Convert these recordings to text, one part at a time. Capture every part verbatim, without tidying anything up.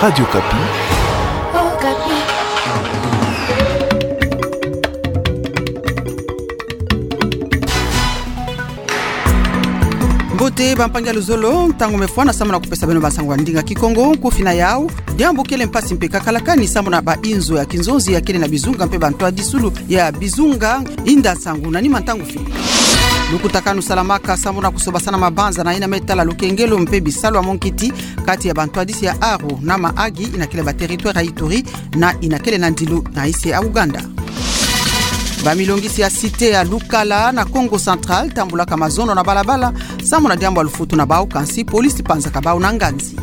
Radio Okapi. Mbote bampangi ya luzolo, ntangu mefwana sambu na kupesa beno bansangu ya ndinga Kikongo. Nkufi na yau: diambu kele mpasi mpe kakalakani sambu na bainzo ya kinzonzi ya kele na bizunga mpe bantwadisulu ya bizunga. Inda nsangu na nima ntangu fini. Lukutakanu salamaka sambu na kusobasana mabanza na yina me tala lukengelo mpe bisalu ya monkiti kati ya bantwadisi ya aru na maagi yina kele ba territoire ya Ituri na yina kele na ndilu na insi ya Ouganda. Bamilongisi ya cité ya Lukala na Kongo Central tambulaka mazono na balabala sambu na diambu ya lufutu na bau, kansi polisi panzaka bau na nganzi.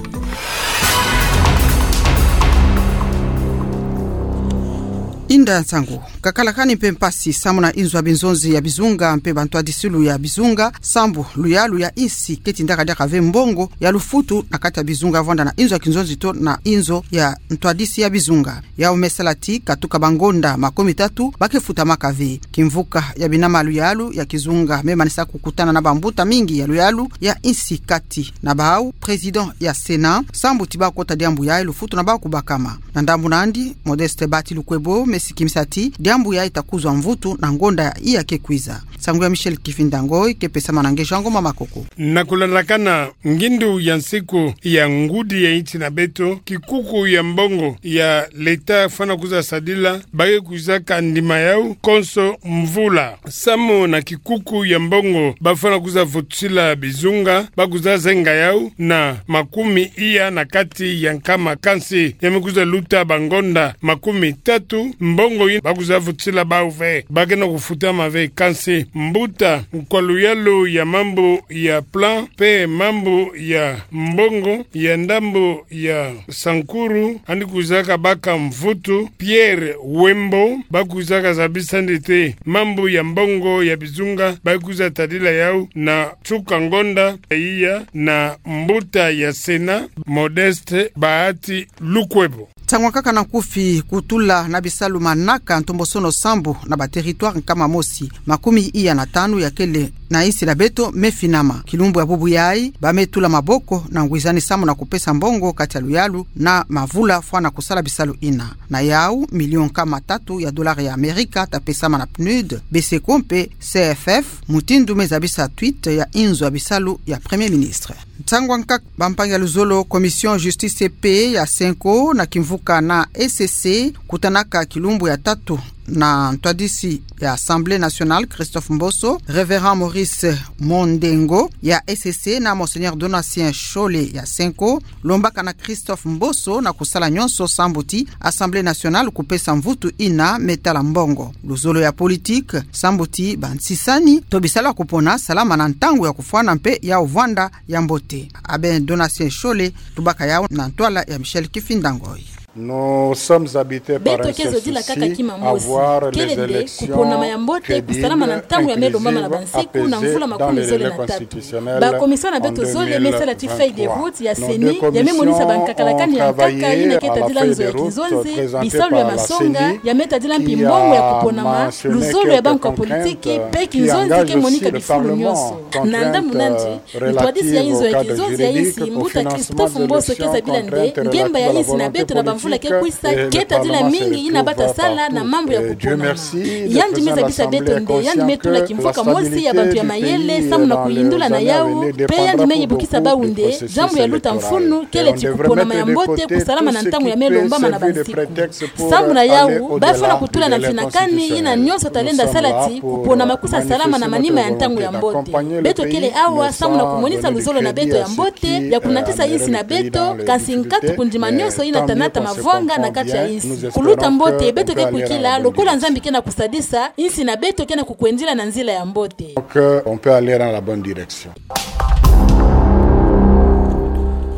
Inda nsangu. Kakalakani mpe mpasi sambu na inzo ya binzonzi ya bizunga mpe bantwadisulu ya bizunga, sambu luyalu ya insi ketindaka diaka ve mbongo ya lufutu na kati ya bizunga vwanda na inzo ya kinzonzi to na inzo ya ntwadisi ya bizunga. Yau me sala ti katuka bangonda makumitatu ba kefutamaka ve. Kimvuka ya bina maluyalu ya kizunga me manisa kukutana na bambuta mingi ya luyalu ya insi, kati na bau président ya Sénat, sambu ti ba kota diambu yayi lufutu na bau kubakama. Na ndambu nandi, Modeste Bahati Lukwebo me sikimisa ti diambu yayi ta kuzwa mvutu na ngonda iya ke kwiza. Nsangu ya Michel Kifinda Ngoy ke pesama na Ngejangoma Makoko. Na kulandakana ngindu ya nsiku ya ngudi ya insi na beto, kikuku ya mbongo ya l'État fwana kuza sadila, ba ke kwizaka ndima yau konso mvula. Sambu na kikuku ya mbongo ba fwana kuza vutusila bizunga, ba kuza zenga yau na makumi iya na kati ya nkama, kansi ya me kuza luta bangonda makumitatu, mbongo yina ba kuza vutusila bau ve, ba ke na kufutama ve. Kansi mbuta nkwa luyalu ya mambu ya plan mpe mambu ya mbongo ya ndambu ya Sankuru, yandi kwizaka baka mvutu, Pierre Wembo, ba kwizaka zabisa nde te mambu ya mbongo ya bizunga ba ke kwiza tadila yau na nsuka ngonda iya na mbuta ya Sénat, Modeste Bahati Lukwebo. Nsangu ya nkaka na nkufi: kutula na bisalu manaka ntombosono sambu na ba territoire nkama mosi makumi iya na tanu ya kele na insi na beto me finama. Kilumbu ya bubu yayi ba me tula maboko na ngwizani sambu na kupesa mbongo kati ya luyalu na mavula fwana kusala bisalu yina. Na yau, million nkama tatu ya dollars ya Amerika ta pesama na PNUD, BCECO mpe CFF, mutindu me zabisa tweet ya inzo ya bisalu ya Premier Ministre. Nsangu ya nkaka, bampangi ya luzolo: Commission Justice et Paix ya CENCO na kimvuka na ECC kutanaka kilumbu ya tatu na ntwadisi ya Assemblée nationale, Christophe Mboso, Révérend Maurice Mondengo ya ECC na Monseigneur Donatien Shole ya CENCO. Lombaka na Christophe Mboso na kusala nyonso sambu ti Assemblée nationale kupesa mvutu yina me tala mbongo. Luzolo ya politique, sambu ti bansisani to bisalu ya kupona salama na ntangu ya kufwana mpe ya vwanda ya mbote. Abbé Donatien Shole tubaka yau na ntwala ya Michel Kifinda Ngoy. Beto ke zodila kaka kima mosi, kele nde kuponama ya mbote kusalama na ntangu ya me lombama na bansiku na mvula makumi zole na tatu. Ba commission na beto zole me sala ti feuille de route ya CENI ya me monisa bankakalakani ya nkaka yina ke tadila nzo ya kinzonzi, bisalu ya masonga ya me tadila mpi mbongo ya kuponama, luzolo ya bankwa politiki mpe kinzonzi ke monika bifulu nyonso. Na ndambu nandi, ntwadisi ya inzo ya kinzonzi ya insi, mbuta Christophe Mboso, ke zabila nde ngemba ya insi na beto na bamvula ke kwisa ke tadila mingi yina ba ta sala na mambu ya kuponama. Yandi me zabisa beto nde yandi me tula kimvuka mosi ya bantu ya mayele sambu na kuyindula na yau, mpe yandi me yebukisa bau nde diambu ya luta mfunu kele ti kuponama ya mbote kusalama na ntangu ya me lombama na bansiku. Sambu na yau, ba fwana kutula na mfinakani yina nyonso ta lenda sala ti kuponama kwisa salama na manima ya ntangu ya mbote. Beto kele awa sambu na kumonisa luzolo na beto ya mbote ya kunatisa insi na beto, kansi nkatu kundima nyonso yina ta nata mavwanga na kati ya insi. Kuluta mbote beto ke kwikila lokola Nzambi ke na kusadisa, insi na beto ke na kukwendila na nzila ya mbote. Donc, euh, on peut aller dans la bonne direction.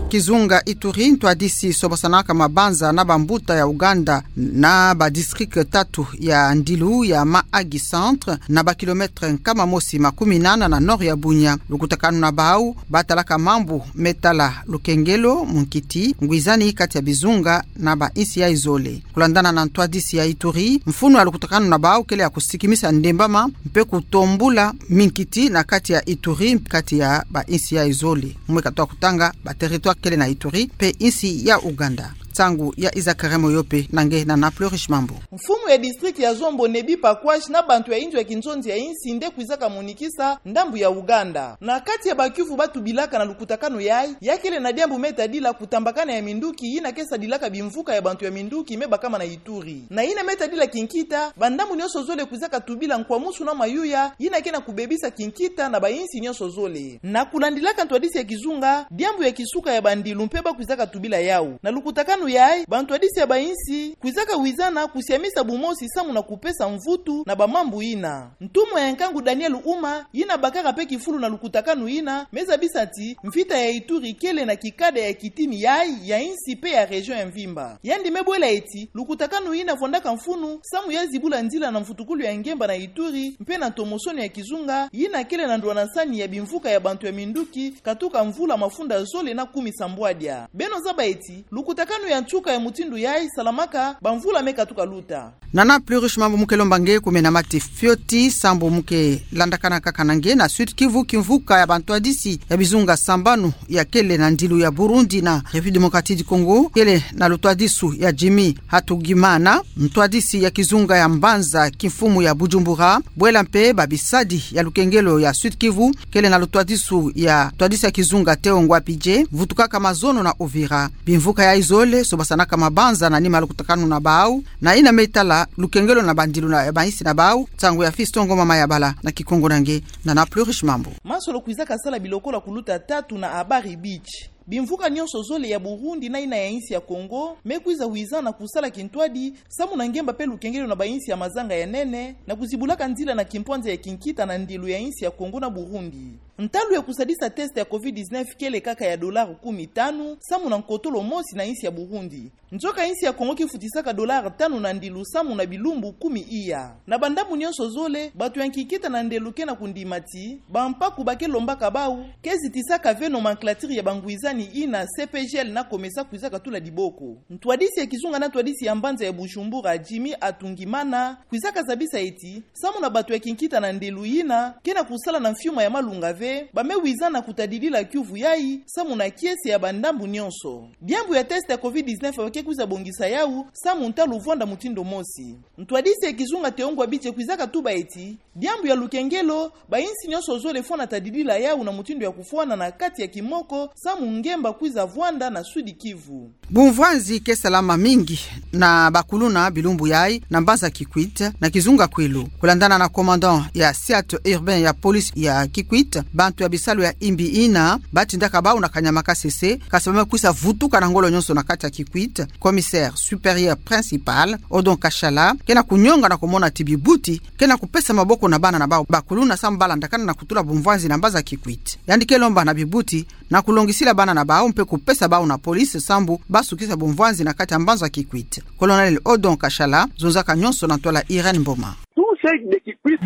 Kizunga Ituri, ntwadisi sobasanaka mabanza na bambuta ya Ouganda na ba district tatu ya ndilu ya Mahagi Centre, na ba kilomètre nkama mosi makumi nana na nord ya Bunia. Lukutakanu na bau ba talaka mambu me tala lukengelo, munkiti, ngwizani kati ya bizunga na ba insi yayi zole. Kulandana na ntwadisi ya Ituri, mfunu ya lukutakanu na bau kele ya kusikimisa ndembama mpe kutombula minkiti na kati ya Ituri, kati ya ba insi yayi zole. Mwe katoa kutanga ba territoire kele na Ituri mpe insi ya Ouganda. Nsangu ya Isaac Remoyope na nge Nana Plurish Mambu. Mfumu ya district ya Zombo, Nebi Pakwash, na bantu ya inzo ya kinzonzi ya insi nde kwizaka monikisa ndambu ya Uganda. Na kati ya bakiuvu ba tubilaka na lukutakanu yayi, ya kele na diambu me tadila kutambakana ya minduki yina ke sadilaka bimvuka ya bantu ya minduki me bakama na Ituri. Na yina me tadila kinkita, bandambu nionso zole kwizaka tubila nkwamusu na mayuya yina ke na kubebisa kinkita na bainsi nionso zole. Na kulandilaka ntwadisi ya kizunga, diambu ya kisuka ya bandilu mpe ba kwizaka tubila yawu. Na lukutakanu yayi, bantwadisi ya bainsi kwizaka wizana kusiamisa bumosi samu na kupesa mvutu na bamambu yina. Ntumwa ya nkangu Daniel Uma, yina bakaka mpe kifulu na lukutakanu yina, me zabisa ti mvita ya Ituri kele na kikada ya kitini yayi, ya insi mpe ya région ya mvimba. Yandi me bwela ti lukutakanu yina vwandaka mfunu samu ya zibula nzila na mvutukulu ya ngemba na Ituri mpe na ntomosono ya kizunga yina kele na ndwanasani ya bimvuka ya bantu ya minduki katuka mvula mafunda zole na kumi sambwadia. Beno zaba ti lukutakanu ya nsuka ya mutindu yayi salamaka bamvula me katuka luta. Nana Plurish Mambu, mu ke lomba nge kumena mati fioti sambu mu ke landakana kaka na nge na Sud-Kivu, kimvuka ya bantwadisi ya bizunga sambanu ya kele na ndilu ya Burundi na République Démocratique du Congo, kele na lutwadisu ya Jimmy Hatugimana, ntwadisi ya kizunga ya mbanza kimfumu ya Bujumbura, bwela mpe babisadi ya lukengelo ya Sud-Kivu, kele na lutwadisu ya ntwadisi ya kizunga Théo Ngwapidje, vutukaka mazono na Uvira. Bimvuka yayi zole sobasanaka mabanza na nima lukutakanu na bawu, na yina me tala lukengelo na bandilu na bainsi na bawu. Nsangu ya Fiston Ngoma Mayabala, na Kikongo na nge Nana Plurish Mambu. Masolo kwizaka sala bilokolo kuluta tatu na Habari Beach. Bimvuka nionso zole ya Burundi na yina ya insi ya Congo me kwiza wizana kusala kintwadi samu na ngemba mpe lukengelo na bainsi ya mazanga ya nene, na kuzibulaka nzila na kimpwanza ya kinkita na ndilu ya insi ya Congo na Burundi. Ntalu ya kusadisa test ya covid dix-neuf kele kaka ya dollar kumi tanu samu na nkotolo mosi na insi ya Burundi. Nzoka insi ya Congo ke futisaka dollar tanu na ndilu samu na bilumbu kumi iya. Na bandambu nionso zole, bantu ya kinkita na ndelu ke na kundima ti bampaku ba ke lombaka bawu ke zitisaka ve nomenclature ya bangwizani yina C P G L na COMESA kwizaka tula diboko. Ntwadisi ya kizunga na ntwadisi ya mbanza ya Bujumbura, Jimmy Hatugimana, kwizaka zabisa ti samu na bantu ya kinkita na ndelu yina ke na kusala na mfiuma ya malunga ve, ba me wizana kutadidila kiuvu yayi samu na kiese ya bandambu nionso. Diambu ya test ya covid dix-neuf ba ke kwiza bongisa yawu samu ntalu vwanda mutindu mosi. Ntwadisi ya kizunga Théo Ngwapidje kwizaka tuba ti diambu ya lukengelo, bainsi nionso zole fwana tadidila yawu na mutindu ya kufwana na kati ya kimoko samu ngemba kwiza vwanda na Sud-Kivu. Bumvwanzi ke salama mingi na bakuluna bilumbu yayi na mbanza Kikwit na kizunga Kwilu. Kulandana na commandant ya cercle urbain ya police ya Kikwit, bantu ya bisalu ya imbi yina ba tindaka bawu na kanyama kasese, kasi ba me kwisa vutuka na ngolo nionso na kati ya Kikwit. Commissaire supérieur principal, Odon Kashala, ke na kunyonga na kumona ti bibuti ke na kupesa maboko na bana na bawu bakuluna samu ba landakana na kutula bumvwanzi na mbanza Kikwit. Yandi ke lomba na bibuti na kulongisila bana na bawu mpe kupesa bawu na police sambu ba sukisa bumvwanzi na kati ya mbanza Kikwit. Colonel Odon Kashala zonzaka nionso na ntwala Irène Mboma.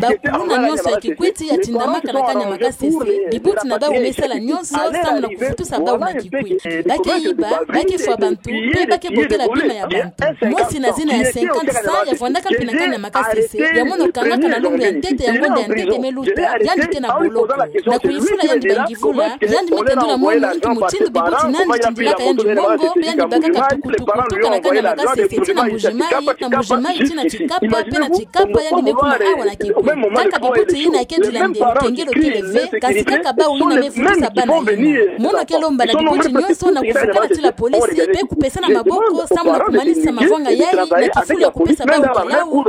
Bakuluna nionso ya Kikwit ya tindamaka na kanyama kasese, bibuti na bawu me sala nionso sambu na kuvutusa bawu na Kikwit. Ba ke yiba, ba ke fwa bantu, mpe ba ke botela bima ya bantu. Mosi na zina ya cinquante cent ya vwandaka mpi na kanyama kasese, ya mono kangaka na lumbu ya ntete ya ngonda ya ntete me luta, yandi ke na boloko. Na kuyifula yandi bangivula, yandi me tendula mono nki mutindu bibuti nandi tindilaka yandi mongo, mpe yandi bakaka tukutuku tuka na kanyama kasese tii na Mbuji-Mayi, na Mbuji-Mayi tii na Tshikapa, mpe na Tshikapa yandi me kuma awa na Kikwit. Kaka bibuti yina ke dilande lukengelo kele ve, kasi kaka bawu yina me vutusa bana yina. Mono ke lomba na bibuti nionso na kuvukana tii la police, mpe kupesana maboko, sambu na kumanisa mavanga yayi, na kifulu ya kupesa bawu kilawu, na ku-,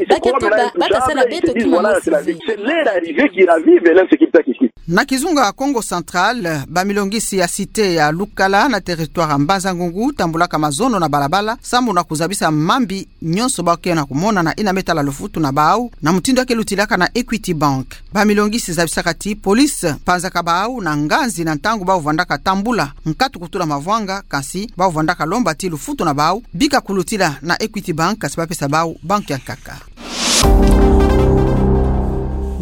ba ke tuba, ba ta sala beto kima mosi ve. Na kizunga Kongo Central, bamilongisi ya cité ya Lukala na territoire ya Mbanza-Ngungu tambulaka mazono na balabala, sambu na kuzabisa mambi nionso ba ke na kumona na yina me tala lufutu na bawu, na mutindu ya ke lutilaka na Equity Bank. Bamilongisi zabisaka ti police panzaka bawu na nganzi na ntangu bawu vwandaka tambula nkatu kutula mavanga, kasi bawu vwandaka lomba ti lufutu na bawu bika kulutila na Equity Bank, kasi ba pesa bawu banki ya nkaka.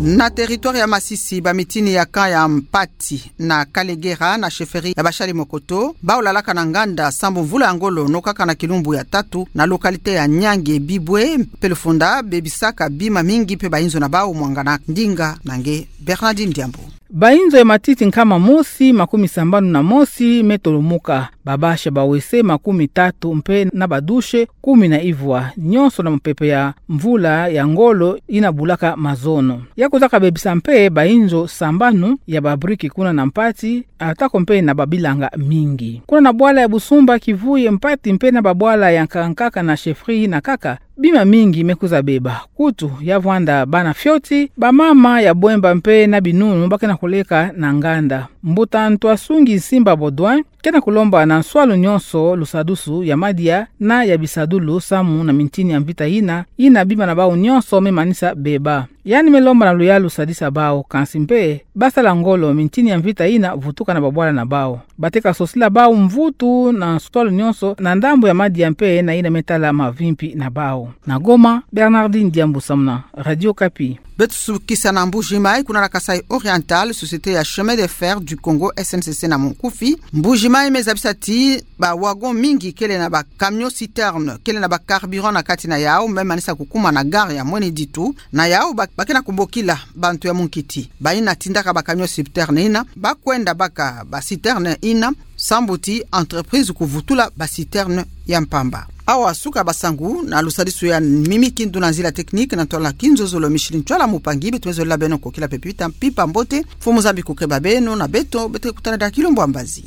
Na territoire ya Masisi, bamitini ya camp ya Mpati na Kalegera na chefferie ya Bashali Mokoto, bawu lalaka na nganda sambu mvula ya ngolo nokaka na kilumbu ya tatu na localité ya Nyange Bibwe mpe lufunda bebisaka bima mingi mpe bayinzo na bawu mwangana. Ndinga na nge Bernardine Diambu. Bainzo ya matiti nkama mosi makumi sambanu na mosi me tolomuka, babasi ya bawese makumi tatu mpe na badushe kumi na ivwa, nionso na mopepe ya mvula ya ngolo ina bulaka mazono. Ya kuzaka bebisa mpe bainzo sambanu ya babriki kuna na mpati, atako mpe na babilanga mingi. Kuna na bwala ya Busumba, Kivuye, Mpati mpe na babwala ya nkaka nkaka na chefferie na nkaka, bima mingi me kwiza beba. Kutu ya vwanda bana fioti, bamama ya Bwemba mpe na Binunu ba kena koleka na nganda. Mbuta Ntuasungi Nsimba Baudouin kena kolomba na nswalu nionso lusadusu ya madia na ya bisadulu samu na mintini ya mvita ina, ina bima na bau nionso me manisa beba. Yandi me lomba na luyalu sadisa bau, kansi mpe basala ngolo mintini ya mvita ina vutuka na babwala na bau. Bateka sosila bau mvutu na nswalu nionso na ndambu ya madia mpe na ina me tala mavimpi na bau. Na Goma, Bernardine Diambu samu na Radio Okapi. Beto sukisa na Mbuji-Mayi. Kuna na Kasaï Oriental, société ya Chemin de Fer du Congo, S N C C na monkufi, Mbuji-Mayi, me zabisa ti ba wagon mingi kele na ba camion citerne kele na ba carburant na kati na yau me manisa kukuma na gare ya Mwene Ditu. Na yau ba, ba kena kubokila bantu ya munkiti baina tindaka ba camion citerne ina ba kwenda baka ba citerne ina, sambu ti entreprise kuvutula ba citerne ya mpamba. Awa suka basangu, na lusadisu ya Mimi Kindu na nzila technique, na ntwala Kinzozolo Micheline Ntwala Mupangi, beto me zolila beno kokila pepita mpimpa mbote. Mfumu Nzambi kukeba beno na beto, beto ke kutana diaka kilumbu ya mbazi.